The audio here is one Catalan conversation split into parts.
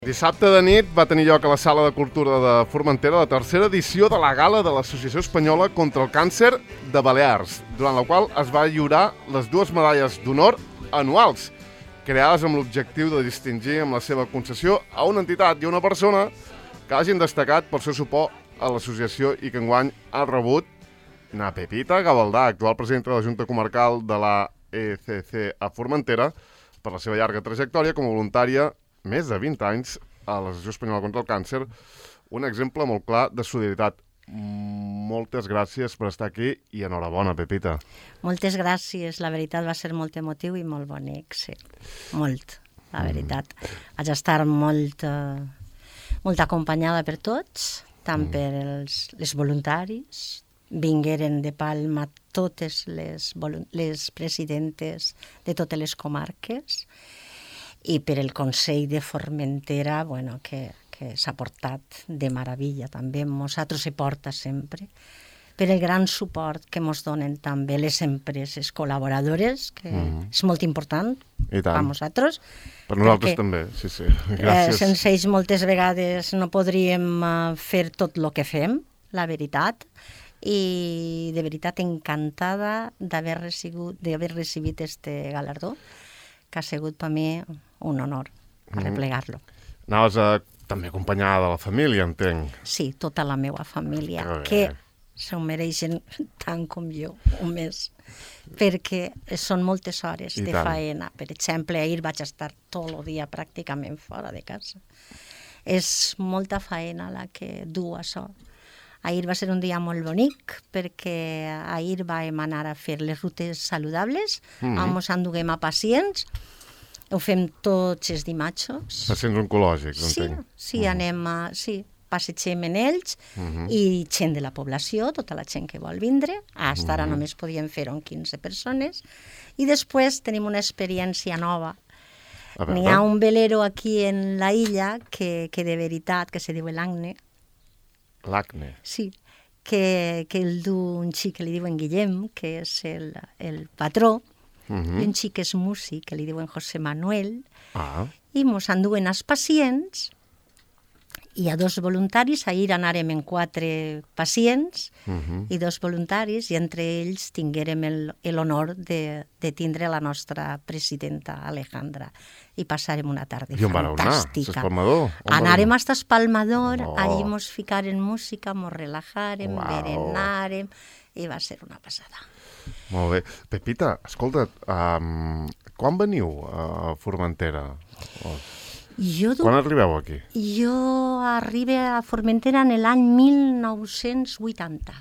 Dissabte de nit va tenir lloc a la Sala de Cultura de Formentera la tercera edició de la gala de l'Associació Espanyola contra el Càncer de Balears, durant la qual es va lliurar les dues medalles d'honor anuals, creades amb l'objectiu de distingir amb la seva concessió a una entitat i a una persona que hagin destacat pel seu suport a l'associació i que enguany ha rebut na Pepita Gavaldà, actual presidenta de la Junta Comarcal de la ECC a Formentera, per la seva llarga trajectòria com a voluntària més de 20 anys a l'Associació Espanyola contra el Càncer, un exemple molt clar de solidaritat. Moltes gràcies per estar aquí i enhorabona, Pepita. Moltes gràcies, la veritat va ser molt emotiu i molt bonic, sí, molt, la veritat. Vaig estar molt acompanyada per tots, tant per els voluntaris, vingueren de Palma totes les presidentes de totes les comarques, i per el Consell de Formentera, bueno, que s'ha portat de meravella també, nosaltres se porta sempre, per el gran suport que ens donen també les empreses col·laboradores, que és molt important per nosaltres. Per nosaltres també, sí. Gràcies. Sense ells moltes vegades no podríem fer tot el que fem, la veritat, i de veritat encantada d'haver recibit este galardó, que ha sigut per mi un honor arreplegar-lo. Anaves també acompanyada de la família, entenc. Sí, tota la meva família, que s'ho mereixen tant com jo, o més, perquè són moltes hores de faena. Per exemple, ahir vaig estar tot el dia pràcticament fora de casa. És molta faena la que du això. Ahir va ser un dia molt bonic perquè ahir vam anar a fer les rutes saludables, ens enduguem a pacients, ho fem tots els dimarts. Pacients oncològics, entenc. Sí, passegem en ells i gent de la població, tota la gent que vol vindre. Fins ara només podíem fer-ho amb 15 persones. I després tenim una experiència nova. N'hi ha un velero aquí en la illa que de veritat, que se diu l'Agne. L'Acne. Sí, que el du un xic que li diuen Guillem, que és el patró, i un xic que és músic, que li diuen José Manuel, i mos enduen els pacients, i a 2 voluntaris, ahir anàrem en 4 pacients, i 2 voluntaris, i entre ells tinguérem l'honor de tindre la nostra presidenta Alejandra, i passarem una tarda fantàstica. Anàrem hasta Espalmador, allí mos ficaren música, mos relajarem, berenarem, i va ser una passada. Molt bé. Pepita, escolta, quan veniu a Formentera? Quan arribeu aquí? Jo arribo a Formentera en l'any 1980.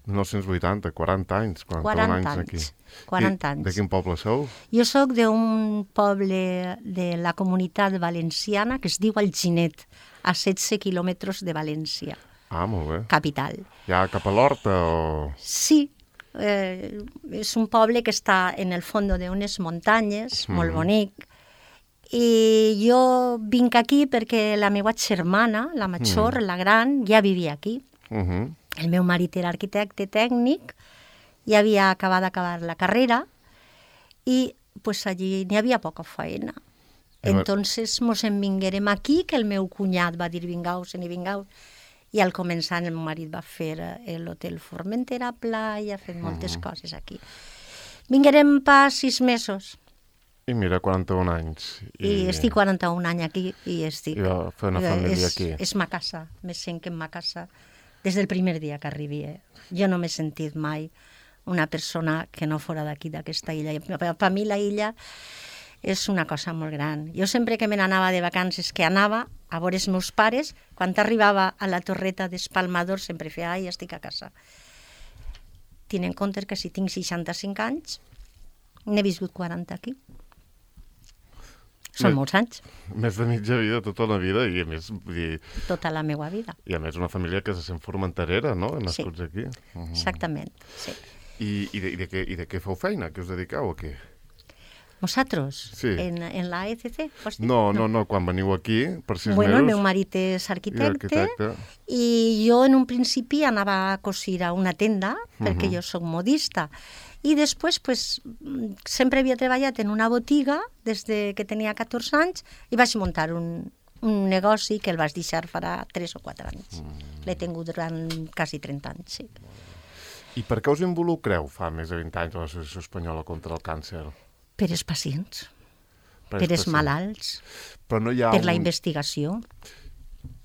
1980, 40 anys, 41 anys aquí. 40 anys. De quin poble sou? Jo soc d'un poble de la Comunitat Valenciana que es diu Alginet, a 16 quilòmetres de València. Molt bé. Capital. Ja cap a l'Horta o...? Sí, és un poble que està en el fons d'unes muntanyes, molt bonic, i jo vinc aquí perquè la meva germana, la major, la gran, ja vivia aquí. El meu marit era arquitecte tècnic, ja havia acabat la carrera i pues, allí n'hi havia poca feina. Entonces mos en vinguérem aquí, que el meu cunyat va dir vingueu-se'n i vingueu. I al començar el meu marit va fer l'hotel Formentera Playa, ha fet moltes coses aquí. Vinguérem per 6 mesos. I mira, 41 anys. I estic 41 anys aquí i estic... I va fer una família aquí. És ma casa, me sent que és ma casa des del primer dia que arribi. Jo no m'he sentit mai una persona que no fora d'aquí, d'aquesta illa. Per mi la illa és una cosa molt gran. Jo sempre que me n'anava de vacances, que anava a veure els meus pares, quan arribava a la torreta d'Espalmador sempre feia, ai, estic a casa. Tinc en compte que si tinc 65 anys, n'he viscut 40 aquí. Són molts anys. Més de mitja vida, tota una vida, i a més... Tota la meva vida. I a més una família que se sent formenterera, no? Nascuts aquí. Exactament, sí. I de què feu feina? Què us dediqueu aquí? Nosaltres? Sí. En la ECC? No, quan veniu aquí, per 6 mesos... Bueno, el meu marit és arquitecte, i jo en un principi anava a cosir a una tenda, perquè jo soc modista, i després pues, sempre havia treballat en una botiga des de que tenia 14 anys i vaig muntar un un negoci que el vaig deixar farà 3 o 4 anys. L'he tingut durant quasi 30 anys, sí. I per què us involucreu fa més de 20 anys a l'Associació Espanyola contra el Càncer? Per els pacients, per els malalts, però no hi ha per la investigació.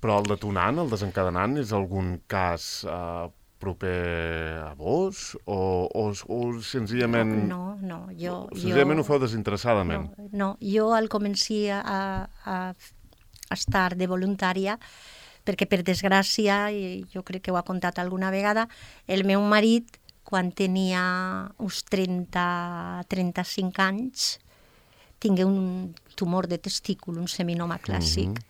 Però el detonant, el desencadenant, és algun cas proper a vos? O senzillament... No, jo... Senzillament ho feu desinteressadament? No, jo al començar a estar de voluntària, perquè per desgràcia, i jo crec que ho ha contat alguna vegada, el meu marit, quan tenia uns 30-35 anys, tingué un tumor de testícul, un seminoma clàssic,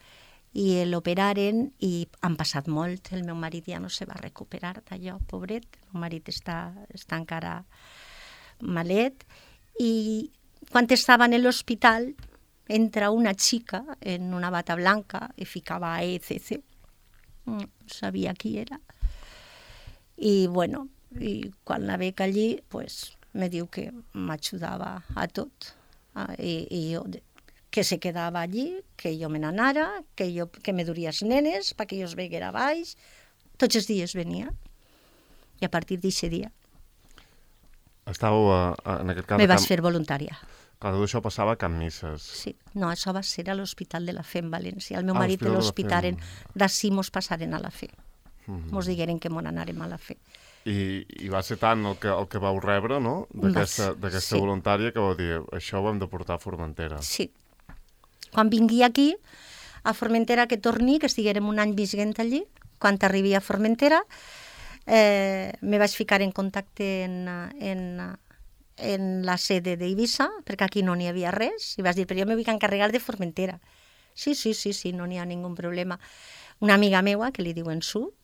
i l'operaren i han passat molt. El meu marit ja no se va recuperar d'allò, pobret. El meu marit està encara malet. I quan estava en l'hospital, entra una xica en una bata blanca i ficava ECC. No sabia qui era. I, bueno, i quan la veig allí, pues, me diu que m'ajudava a tot. I jo, que se quedava allí, que jo me n'anara, que me duria els nenes, perquè jo es veguera baix. Tots els dies venia. I a partir d'aquest dia estàveu, en aquest cas... Me vaig fer voluntària. Clar, tot això passava a Can Misses. Sí, no, això va ser a l'Hospital de la Fe en València. El meu marit de l'hospitalen, d'ací mos passaren a la Fe. Mos digueren que mos anàrem a la Fe. I va ser tant el que vau rebre, no?, d'aquesta voluntària, que vau dir, això ho hem de portar a Formentera. Sí. Quan vingui aquí, a Formentera, que torni, que estiguérem un any visquent allí, quan arribi a Formentera, me vaig ficar en contacte en la sede d'Eivissa, perquè aquí no n'hi havia res, i vaig dir, però jo me vull encarregar de Formentera. Sí, no n'hi ha ningú problema. Una amiga meua, que li diuen Su,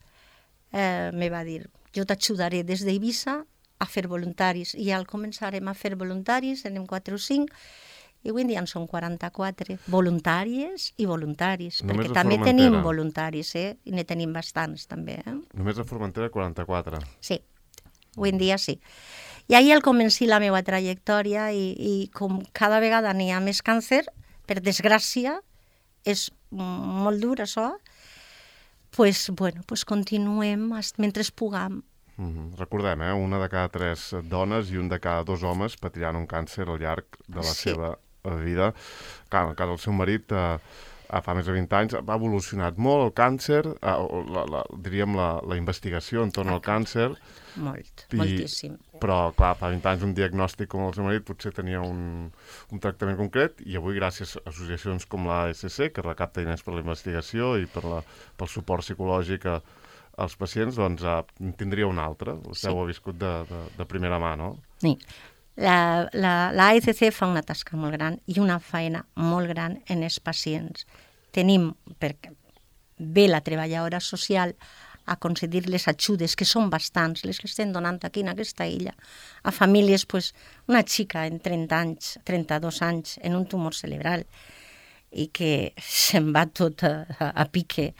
me va dir, jo t'ajudaré des d'Eivissa a fer voluntaris, i al començarem a fer voluntaris, anem 4 o 5, i avui en dia en són 44, voluntàries i voluntaris, perquè també tenim voluntaris, i ne tenim bastants també. Només a Formentera 44? Sí, avui en dia sí. I ahir al començar la meva trajectòria, i com cada vegada n'hi ha més càncer, per desgràcia, és molt dur això, pues continuem mentre puguem. Recordem, una de cada 3 dones i un de cada 2 homes patiran un càncer al llarg de la seva vida. Clar, en el cas del seu marit, fa més de 20 anys, ha evolucionat molt el càncer, diríem la investigació entorn al càncer. Moltíssim. Però, clar, fa 20 anys un diagnòstic com el seu marit potser tenia un tractament concret, i avui, gràcies a associacions com l'ASC, que recapta diners per la investigació i pel suport psicològic als pacients, doncs tindria un altre. Vostè ho ha viscut de primera mà, no? Sí. L'ASC fa una tasca molt gran i una feina molt gran en els pacients. Tenim, perquè ve la treballadora social a concedir les ajudes, que són bastants, les que estem donant aquí en aquesta illa, a famílies, una xica en 30 anys, 32 anys, en un tumor cerebral, i que se'n va tot a pique,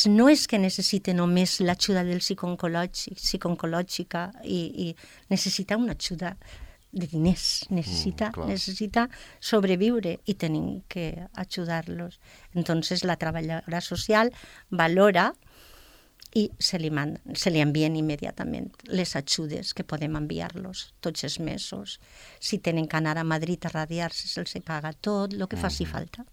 no és que necessite només l'ajuda del psicooncològica i necessita una ajuda de diners, necessita sobreviure i tenim que ajudar-los. Entonces la treballadora social valora i se li envien immediatament les ajudes que podem enviar-los tots els mesos. Si tenen que anar a Madrid a radiar-se, se'ls paga tot, el que faci falta.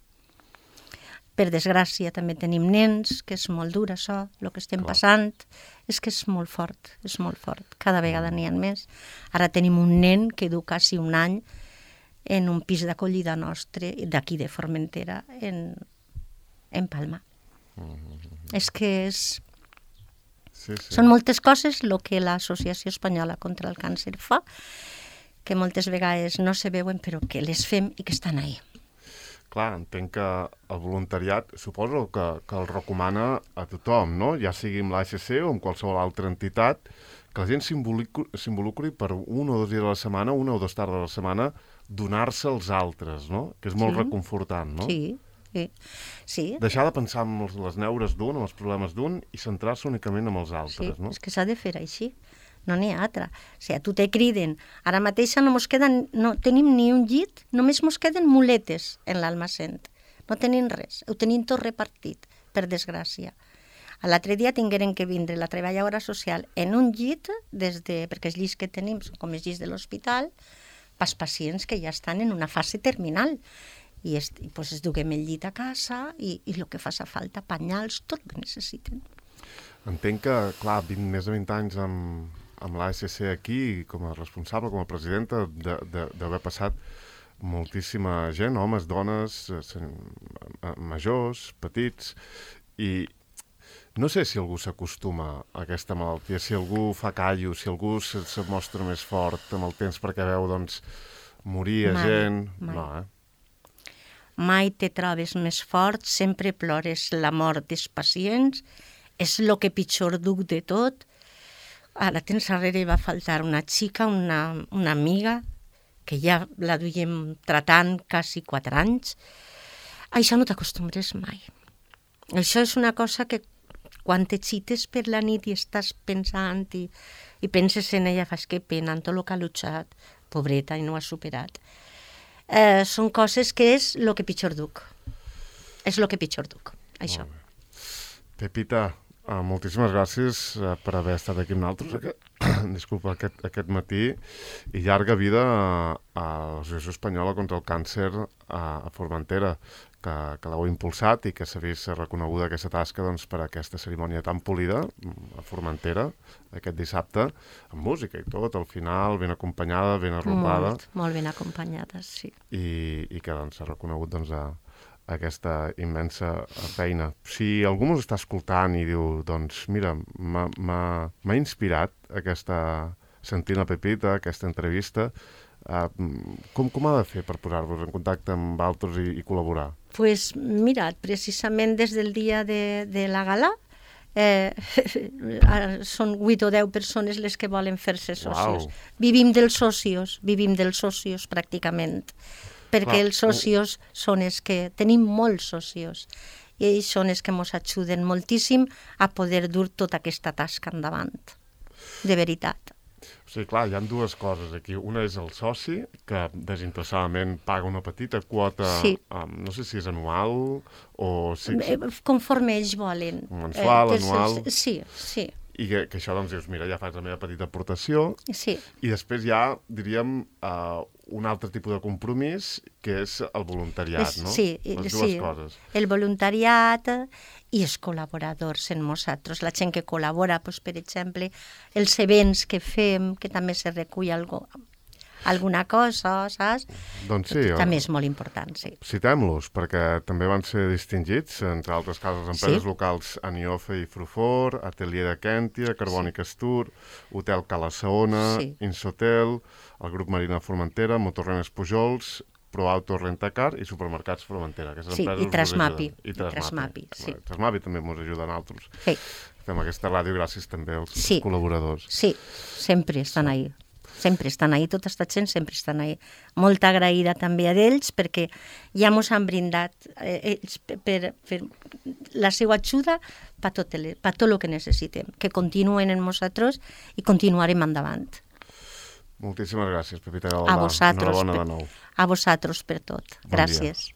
Per desgràcia també tenim nens, que és molt dur això, el que estem passant, és que és molt fort, cada vegada n'hi ha més. Ara tenim un nen que du quasi un any en un pis d'acollida nostre, d'aquí de Formentera, en Palma. És que són moltes coses el que l'Associació Espanyola contra el Càncer fa, que moltes vegades no se veuen, però que les fem i que estan ahí. Clar, entenc que el voluntariat suposo que el recomana a tothom, no? Ja sigui amb l'ASC o amb qualsevol altra entitat, que la gent s'involucri per 1 o 2 dies a la setmana, 1 o 2 tardes a la setmana, donar-se als altres, no? Que és molt reconfortant, no? Sí. Deixar de pensar en les neures d'un, en els problemes d'un, i centrar-se únicament en els altres, no? Sí, és que s'ha de fer així. No n'hi ha altra. O sigui, a tu te criden. Ara mateix no tenim ni un llit, només mos queden muletes en l'almacén. no tenim res, ho tenim tot repartit, per desgràcia. L'altre dia tingueren que vindre la treballadora social en un llit, perquè els llits que tenim són com els llits de l'hospital, pels pacients que ja estan en una fase terminal. I pues, es duguem el llit a casa i el que fa falta, penyals, tot el que necessiten. Entenc que, clar, més de 20 anys amb l'ASC aquí, com a responsable, com a presidenta, d'haver passat moltíssima gent, homes, dones, majors, petits, i no sé si algú s'acostuma a aquesta malaltia, si algú fa callo, si algú se mostra més fort amb el temps perquè veu, doncs, morir gent... Mai. No, Mai te trobes més fort, sempre plores la mort dels pacients, és el que pitjor duc de tot. Ara temps darrere va faltar una xica, una amiga, que ja la duiem tratant quasi 4 anys. Això no t'acostumbres mai. Això és una cosa que quan t'excites per la nit i estàs pensant i penses en ella, fas que pena, en tot el que ha luchat, pobreta, i no ha superat. Són coses que és el que pitjor duc. És el que pitjor duc, això. Pepita, moltíssimes gràcies per haver estat aquí amb nosaltres aquest matí, i llarga vida a l'Associació Espanyola contra el Càncer a Formentera, que l'heu impulsat i que s'ha vist reconeguda aquesta tasca, doncs, per aquesta cerimònia tan polida a Formentera aquest dissabte, amb música i tot, al final, ben acompanyada, ben arropada. Molt ben acompanyada, sí. I que doncs, s'ha reconegut doncs, aquesta immensa feina. Si algú ens està escoltant i diu, doncs, mira, m'ha inspirat sentint la Pepita, aquesta entrevista, com ha de fer per posar-vos en contacte amb altres i col·laborar? Pues mira, precisament des del dia de la gala, són 8 o 10 persones les que volen fer-se socis. Wow. Vivim dels socios pràcticament, perquè els socios són els que... Tenim molts socios, i ells són els que ens ajuden moltíssim a poder dur tota aquesta tasca endavant, de veritat. O sigui, clar, hi ha dues coses aquí. Una és el soci, que desinteressadament paga una petita quota, sí. No sé si és anual o... Conforme ells volen. Mensual, anual... Sí, sí. I que això, doncs, dius, mira, ja faig la meva petita aportació. Sí. I després hi ha, diríem, un altre tipus de compromís, que és el voluntariat, no? Sí, les dues coses. El voluntariat i els col·laboradors en nosaltres. La gent que col·labora, doncs, per exemple, els events que fem, que també se recull alguna cosa, saps? Doncs sí. També és molt important, sí. Citem-los, perquè també van ser distingits, entre altres casos, empreses locals Aniofe i Frufor, Atelier de Quèntia, Carbònic Astur, Hotel Cala Saona, Insotel, el grup Marina Formentera, Motorrenes Pujols, ProAuto Rentacar i Supermercats Formentera. Sí, i Trasmapi. Sí. Trasmapi també ens ajuda a nosaltres. Sí. Fem aquesta ràdio gràcies també als col·laboradors. Sí, sempre estan ahí. Sempre estan ahí, tota aquesta gent sempre estan ahí. Molt agraïda també a ells perquè ja ens han brindat ells per la seva ajuda per tot el que necessitem, que continuen en nosaltres i continuarem endavant. Moltíssimes gràcies, Pepita Galvà. A vosaltres, enhorabona de nou. A vosaltres per tot. Gràcies.